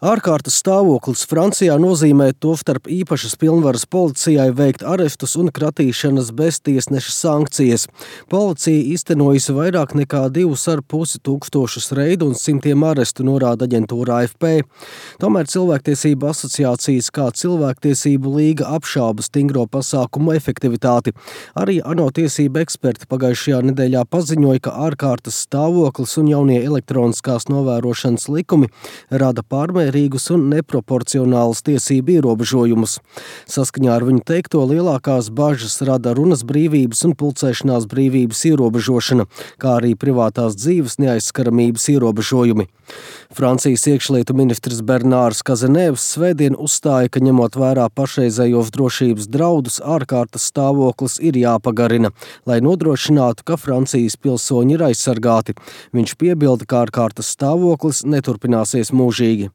Ārkārtas stāvoklis Francijā nozīmē tostarp īpašas pilnvaras policijai veikt arestus un kratīšanas bez tiesneša sankcijas. Policija īstenojusi vairāk nekā 2,5 tūkstošus reidu un simtiem arestu, norāda aģentūra AFP. Tomēr Cilvēktiesību asociācijas kā Cilvēktiesību līga apšauba stingro pasākumu efektivitāti. Arī ANO tiesību eksperti pagājušajā nedēļā paziņoja, ka ārkārtas stāvoklis un jaunie elektroniskās novērošanas likumi rada pārmērīgus un neproporcionālus tiesību ierobežojumus. Saskaņā ar viņu teikto, lielākās bažas rada runas brīvības un pulcēšanās brīvības ierobežošana, kā arī privātās dzīves neaizskaramības ierobežojumi. Francijas iekšlietu ministrs Bernārs Kazenēvs svētdien uzstāja, ka ņemot vērā pašreizējos drošības draudus, ārkārtas stāvoklis ir jāpagarina, lai nodrošinātu, ka Francijas pilsoņi ir aizsargāti. Viņš piebilda, ka ārkārtas stāvoklis neturpināsies mūžīgi.